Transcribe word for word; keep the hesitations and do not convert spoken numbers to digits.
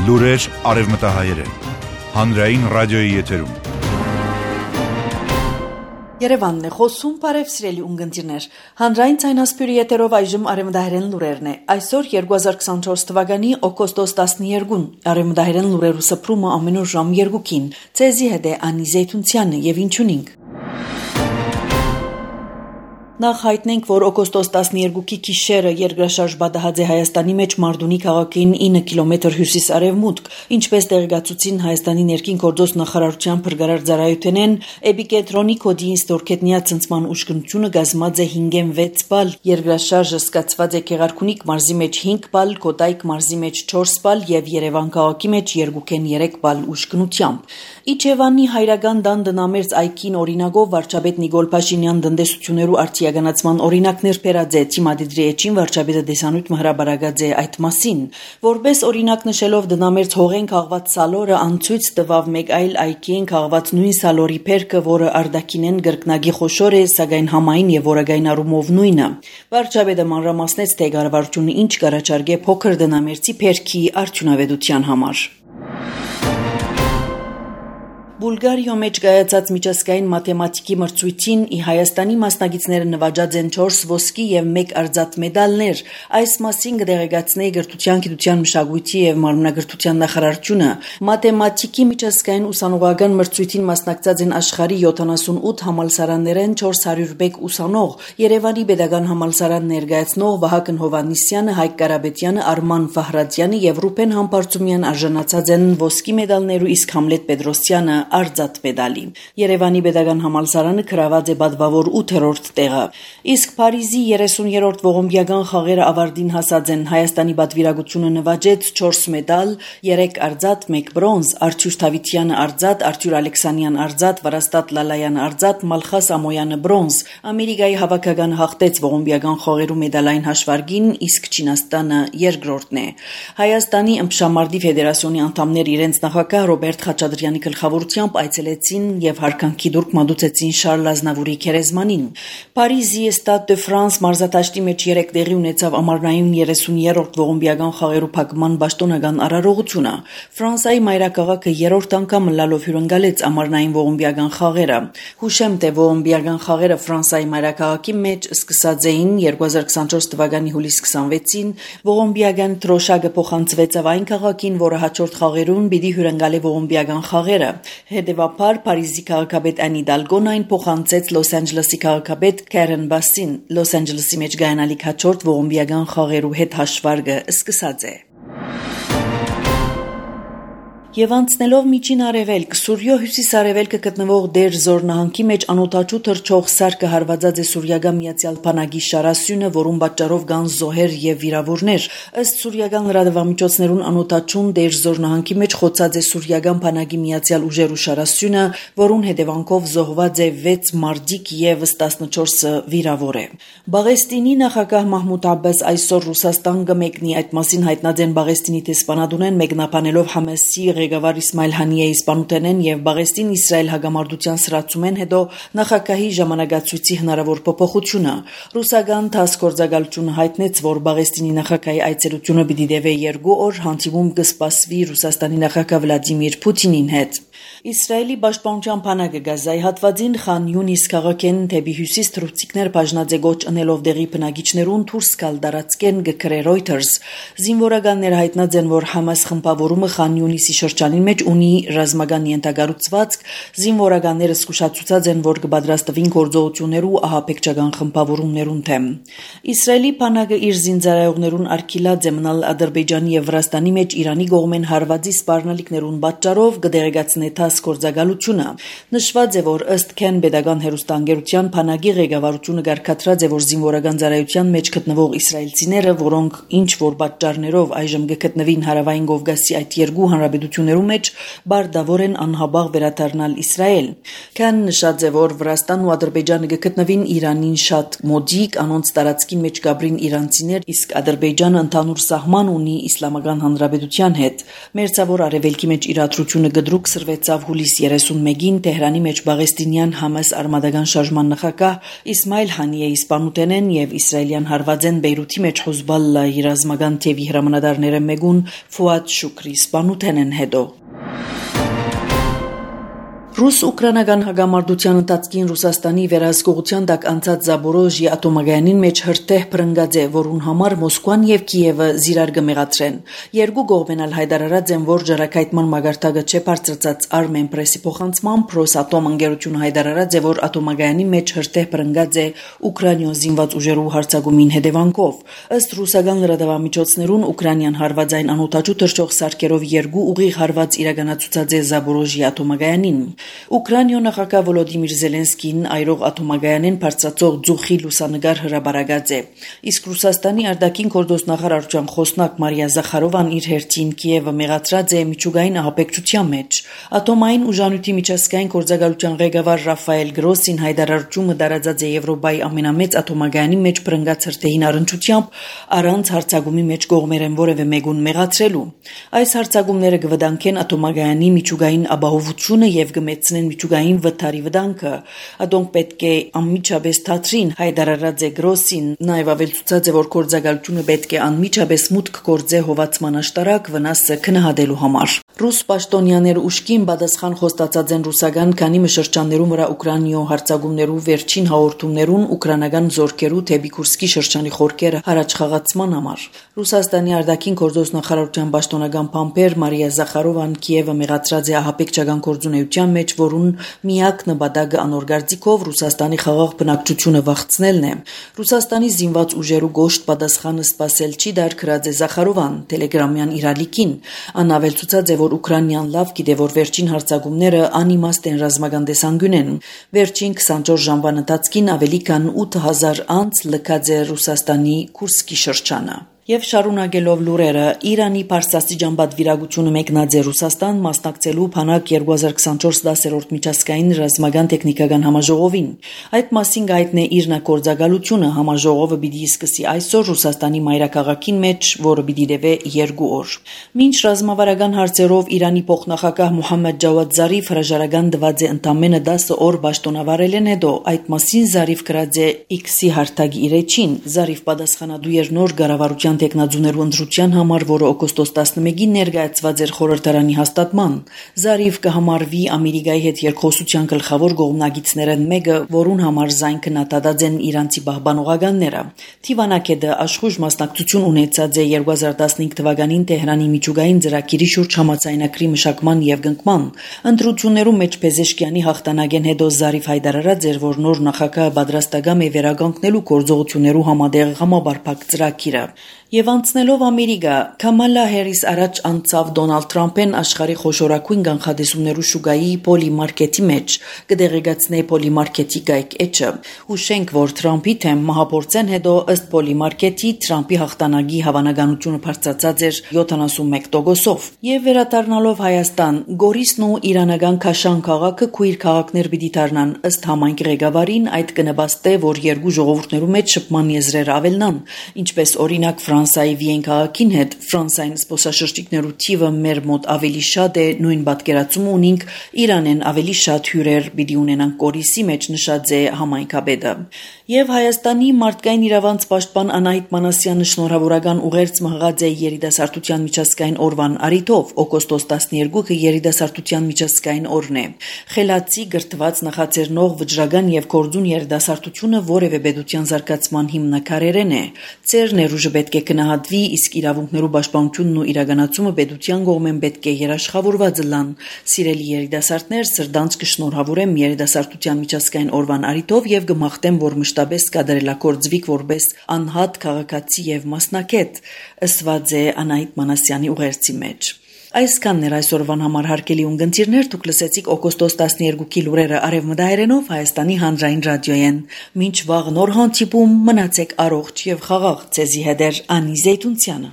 Լուրեր արևմտահայերեն, հանրային ռադիոյի եթերում։ Երևանն է խոսում, բարև սիրելի ունկնդիրներ։ Հանրային ցայնասպյուրի եթերով այժմ արևմտահայերեն լուրերն է։ Այսօր երկու հազար քսանչորս թվականի օգոստոս տասներկուն արևմտահայերեն լուրերու սփռումը ամեն օր ժամ երկուին։ Ցեզի հետ է Անի Զեյթունցյանը եւ ինչունինք։ Նախ հայտնենք, որ օգոստոս տասներկուի գիշերը երկրաշարժ բադահաձե Հայաստանի մեջ Մարդունի քաղաքին ինը կիլոմետր հյուսիս-արևմուտք, ինչպես տեղեկացուցին Հայաստանի ներքին գործոս նախարարության փրկարար ծառայությունեն, էպիկենտրոնի կոդի ստորքետնյա ցնցման ուշքնությունը գազմած է հինգ վեց բալ, երկրաշարժը սկսված է Գեղարքունիք մարզի մեջ հինգ բալ, Կոտայք մարզի մեջ չորս բալ եւ Երևան քաղաքի մեջ երեք բալ ուշքնությամբ։ Իջևանի հայրական դան դնամերձ այգին օրինագով վարչապետ Նիկոլ Փաշինյան տնտեսություներու արտիականացման օրինակներ բերած է Թիմադիդրի էջին վարչապետը դեսանույթ հրաբարացած է այդ մասին, որպես օրինակ նշելով դնամերձ հողեն քաղված սալորը անցույց տվավ մեկ այլ այգին քաղված նույն սալորի փերքը, որը արդակինեն գրկնագի խոշոր է, սակայն համային եւ որակային առումով նույնը։ Վարչապետը մանրամասնեց, թե կառավարությունը ինչ կառաջարկե փոքր դնամերձի փերքի արդյունավետության համար։ Բուլգարիո մեջ կայացած միջազգային մաթեմատիկի մրցույթին ի Հայաստանի մասնակիցները նվաճած են չորս ոսկի եւ մեկ արծաթ մեդալներ։ Այս մասին կդեղեկացնի Գրթության, Գիտության, Մշակույթի եւ Մարմնագրթության նախարարությունը։ Մաթեմատիկի միջազգային ուսանողական մրցույթին մասնակցած են աշխարհի յոթանասունութ համալսարաններեն չորս հարյուր մեկ ուսանող։ Երևանի Պետական համալսարան ներկայացնող Վահագն Հովհաննիսյանը, Հայկ Կարապետյանը, Արման Ֆահրատյանը եւ Ռուբեն Համբարձումյան արժանացած են ոսկի մեդալներու, իսկ Համլետ Պետրոսյանը արծաթ մեդալի։ Երևանի Պետական համալսարանը գրաված է բադվավոր ութերորդ տեղը։ Իսկ Փարիզի երեսուներորդ ողոմբիական խաղերը ավարտին հասած են։ Հայաստանի պատվիրակությունը նվաճեց չորս մեդալ, երեք արծաթ, մեկ բրոնզ, Արթուր Թավիթյանը արծաթ, Արթուր Ալեքսանյան արծաթ, Վարաստատ Լալայանը արծաթ, Մալխաս Ամոյանը բրոնզ։ Ամերիկայի հավաքականը հաղթեց ողոմբիական խաղերու մեդալային հաշվարկին, իսկ Չինաստանը երկրորդն է։ Հայաստանի ըմբշամարտի ֆեդերացիոնի անդամներ իրենց նախագահ Ռոբերտ Խաչատրյանի գլխավորությամբ այցելեցին եւ հարկանքի դուրք մատուցեցին Շարլ Ազնավուրի քերեզմանին։ Փարիզի Stade de France մարզադաշտի մեջ երեք տեղի ունեցավ ամառնային երեսուներորդ ողոմբիական խաղերու փակման պաշտոնական արարողությունը։ Ֆրանսիայի մայրաքաղաքը երրորդ անգամ լալով հյուրընկալեց ամառնային ողոմբիական խաղերը։ Հուշեմ, թե ողոմբիական խաղերը Ֆրանսիայի մայրաքաղաքի մեջ սկսած էին երկու հազար քսանչորս թվականի հուլիս քսանվեցին։ Ողոմբիական տրոշակը փոխանցվեցավ այն քաղաքին, որը հաջորդ խաղերուն պիտի հյուրընկալի ողոմբիական խաղերը։ Հետևաբար Փարիզի քաղաքապետ Անի Դալգոն այն փոխանցեց Լոս Անջելեսի քաղաքապետ Քարեն Բասին։ Լոս Անջելեսի մեջ գայանալիք հաջորդ ողոմբիական խաղերու հետ հաշվարկը սկսած է։ Եվ անցնելով միջին արևելք, Սուրյո հյուսիս-արևելքը գտնվող Դեր Զոր նահանգի մեջ անօդաչու թռչող սարքը հարվածած է Սուրիական Միացյալ Բանակի շարասյունը, որում պատճառով կան զոհեր եւ վիրավորներ։ Ըստ սուրիական լրատվամիջոցներուն անօդաչուն Դեր Զոր նահանգի մեջ խոցած է Սուրիական Բանակի Միացյալ ուժերու շարասյունը, որուն հետևանքով զոհված է վեց մարդիկ եւս տասնչորսը վիրավոր է։ Բաղեստինի նախագահ Մահմուդ Աբբաս այսօր Ռուսաստան կմեկնի, այդ մասին հայտնած են Բաղեստինի տեսփանատունեն մեկնաբանելով Համասի ղեկավար Իսմայիլ Հանիեի սպանութենեն եւ Բաղեստին-Իսրայել հագամարտության սրացումեն հետո նախագահի ժամանակացույցի հնարավոր փոփոխությունը։ Ռուսական ՏԱՍՍ գործակալությունը հայտնեց, որ Բաղեստինի նախագահի այցելությունը պիտի տևի երկու օր, հանդիպում կսպասվի Ռուսաստանի նախագահ Վլադիմիր Պուտինին հետ։ Իսրայելի պաշտպանության բանակը Գազայի հատվածին Խան Յունիս քաղաքեն դեպի հյուսիս թռուցիկներ բաժնած է գոչ ընելով դեղի բնակիչներուն դուրս գալ տարածքեն գկրե Reuters։ Զինվորականները հայտնած են, որ Համաս խմբավորումը Խան Յունիսի շրջանին մեջ ունի ռազմական ենթակառուցվածք, զինվորականները զսկուշացուցած են, որ կպատրաստվին գործողություններու ահաբեկչական խմբավորումներուն թեմ։ Իսրայելի բանակը իր զինծառայողներուն արգելած է մնալ Ադրբեջանի եւ Վրաստանի մեջ Իրանի կողմեն հարվածի սպառնալիքներուն պատճառով կդեղեկացնի ՏԱՍՍ գործակալությունը։ Նշված է, որ ըստ Քեն Պետական հերոստանգերության բանակի ղեկավարությունը կարգադրած է, որ զինվորական ծառայության մեջ գտնվող իսրայելցիները, որոնք ինչ որ պատճառներով այժմ կգտնվին հարավային Կովկասի այդ երկու հանրապետություններու գործողություններու մեջ բարդավոր են անհաբաղ վերադառնալ Իսրայել։ Քան նշած է, որ Վրաստանն ու Ադրբեջանը գտնվին Իրանին շատ մոդիկ, անոնց տարածքին մեջ գաբրին իրանցիներ, իսկ Ադրբեջանը ընդհանուր սահման ունի Իսլամական Հանրապետության հետ։ Մերձավոր արևելքի մեջ իրադրությունը գդրուկ սրվեցավ հուլիս երեսունմեկին Թեհրանի մեջ Բաղեստինյան Համաս արմատական շարժման նախագահ Իսմայիլ Հանիեի սպանութենեն եւ իսրայելյան հարվածեն Բեյրութի մեջ Հեզբոլլահի ռազմական թևի հրամանատարները մեկուն Ֆուադ Շուքրի սպանութենեն հետո Ռուս-ուկրաինական հագամարտության ընթացքին Ռուսաստանի վերահսկողության տակ անցած Զապորոժիե ատոմագայանին մեջ հրթեհ փրկած է, որուն համար Մոսկվան եւ Կիևը զիրար կմեղադրեն։ Երկու կողմն ալ հայտարարած են, որ ջրակայթման մագարտակը չէ բարձրացած Armen Press-ի փոխանցմամբ Ռոսատոմ ընկերությունը հայտարարած է, որ ատոմագայանի մեջ հրթեհ փրկած է Ուկրաինայի զինված ուժերու հարձակումին հետևանքով։ Ըստ ռուսական լրատվամիջոցներուն Ուկրաինան հարվածային անօթաչու թռչող սարքերով երկու ուղիղ հարված իրականացուցած է Զապորոժիե ատոմագայանին։ Ուկրաինայ նախագահ Վոլոդիմիր Զելենսկին այրող ատոմագայանեն բարձրացող ձուխի լուսանգար հրաբարագած է։ Իսկ Ռուսաստանի արտաքին գործոստնախարարության խոսնակ Մարիա Զախարովան իր հերթին Կիևը մեղադրած է միջուկային ահաբեկչության մեջ։ Ատոմային ուժանույթի միջազգային գործակալության ղեկավար Ռաֆայել Գրոսին հայտարարությունը տարածած է Եվրոպայի ամենամեծ ատոմագայանի մեջ բռնկած հրթեհին առնչությամբ առանց հարձակումի մեջ կողմերեն որևէ մեկուն մեղադրելու։ Այս հարձակումները կվտանգեն ատոմագայանի միջուկային ապահովությունը եւ կմեծնեն միջուկային վթարի վտանգը։ Ադոնք պետք է անմիջապես թատրին հայտարարած է Գրոսին, նաեւ ավելցուցած է, որ գործակալությունը պետք է անմիջապես մուտք գործե հովացման աշտարակ վնասը քննադատելու համար։ Ռուս պաշտոնյաները ուշքին պատասխան խոստացած են ռուսական քանի մշրջաններում վրա Ուկրաինայ հարձակումներու վերջին հաղորդումներուն ուկրաինական զորքերու թեպի Կուրսկի շրջանի խորքերը հրաչխաղացման համար։ Ռուսաստանի արտաքին գործոստնախարարության պաշտոնական փամփեր Մարիա Զախարովան Կիևը մեղադրած է ահաբեկչական գործունեության մեջ, որուն միակ նպատակը անօրգարձիկով Ռուսաստանի խաղաղ բնակչությունը վախցնելն է։ Ռուսաստանի զինված ուժերու գոշտ պատասխանը սпасել չի դարքրած է Զախարովան Telegram-յան իրալիկին։ Անավելցուցած է, որ Ուկրաինան լավ գիտե, որ վերջին հարձակումները անիմաստ են ռազմական տեսանկյունեն։ Վերջին քսանչորս ժամվան ընթացքին ավելի քան ութ հազար անց լքած է Ռուսաստանի Կուրսկի շրջանը։ Եվ շարունակելով լուրերը, Իրանի Փարսաստիճան պատվիրակությունը մեկնած է Ռուսաստան մասնակցելու Փանակ երկու հազար քսանչորս դասերորդ միջազգային ռազմական տեխնիկական համաժողովին։ Այդ մասին գայտնե իր նկորձակալությունը համաժողովը պիտի սկսի այսօր Ռուսաստանի մայրաքաղաքին մեջ, որը պիտի տևե երկու օր։ Մինչ ռազմավարական հարցերով Իրանի փոխնախագահ Մոհամմեդ Ջավադ Զարիֆ հրաժարական տված է ընդամենը դասը օր պաշտոնավարելեն հետո, այդ մասին Զարիֆ գրած է X-ի հարթակի իր էջին։ Զարիֆ պատասխանատու էր նոր կառավարության տեխնազուներու ընտրության համար, որը օգոստոս տասնմեկին ներկայացված էր խորհրդարանի հաստատման։ Զարիֆ կհամարվի Ամերիկայի հետ երկխոսության գլխավոր կողմնակիցներն մեկը, որուն համար զայն քննադատած են իրանցի պահպանողականները։ Թիվանակետը աշխույժ մասնակցություն ունեցած է երկու հազար տասնհինգ թվականին Թեհրանի միջուկային ծրագիրի շուրջ համաձայնագրի մշակման եւ կնքման։ Ընտրություններում մեջ Փեզեշկյանի հաղթանակեն հետո Զարիֆ հայտարարած էր, որ նոր նախագահը պատրաստական է վերականգնելու գործողություններու համատեղ համապարփակ ծրագիրը։ Եվ անցնելով Ամերիկա, Քամալա Հարիս առաջ անցավ Դոնալդ Թրամփեն աշխարհի խոշորագույն կանխատեսումներու շուկայի պոլիմարկետի մեջ, կդեղեկացնե պոլիմարկետի գայք էջը։ Հուշենք, որ Թրամփի թեմ մահապորցեն հետո ըստ պոլիմարկետի Թրամփի հաղթանակի հավանականությունը բարձրացած էր յոթանասունմեկ տոկոսով։ Եվ վերադառնալով Հայաստան, Գորիսն ու իրանական Քաշան քաղաքը քույր քաղաքներ պիտի դառնան։ Ըստ համայնքի ղեկավարին այդ կնպաստե, որ երկու ժողովուրդներու մեջ շփման եզրերը ավելնան, ինչպես օրինակ Ֆրանսիայի Վիեն քաղաքին հետ Ֆրանսիային սպոսաշրջիկներու թիվը մեր մոտ ավելի շատ է, նույն պատկերացումը ունենք Իրանեն ավելի շատ հյուրեր պիտի ունենան Գորիսի մեջ, նշած է համայնքապետը։ Եվ Հայաստանի մարդկային իրավանց պաշտպան Անահիտ Մանասյանը շնորհավորական ուղերձ մղած է երիտասարդության միջազգային օրվան առիթով։ Օգոստոս տասնյոթը երիտասարդության միջազգային օրն է։ Խելացի, գրթված, նախաձեռնող, վճռական եւ կորձուն երիտասարդությունը որևէ պետության զարգացման հիմնաքարերեն է։ Ծեր ներուժը պետք է գնահատվի, իսկ իրավունքներու պաշտպանությունն ու իրականացումը պետության կողմեն պետք է երաշխավորված լան։ Սիրելի երիտասարդներ, սրտանց կշնորհավորեմ երիտասարդության միջազգային օրվան առիթով եւ կմաղթեմ, որ մշտապես կատարելագործվիք որպես անհատ քաղաքացի եւ մասնակետ, ըսված է Անահիտ Մանասյանի ուղերձի մեջ։ Այսքանն էր այսօրվան համար հարգելի ունգընտիրներ, դուք լսեցիք օգոստոս տասնյոթի լուրերը արևմտահայերենով Հայաստանի հանրային ռադիոյեն։ Մինչ վաղ նոր հանդիպում, մնացեք առողջ եւ խաղաղ, ձեզի հետ է Անի Զեյթունցյանը։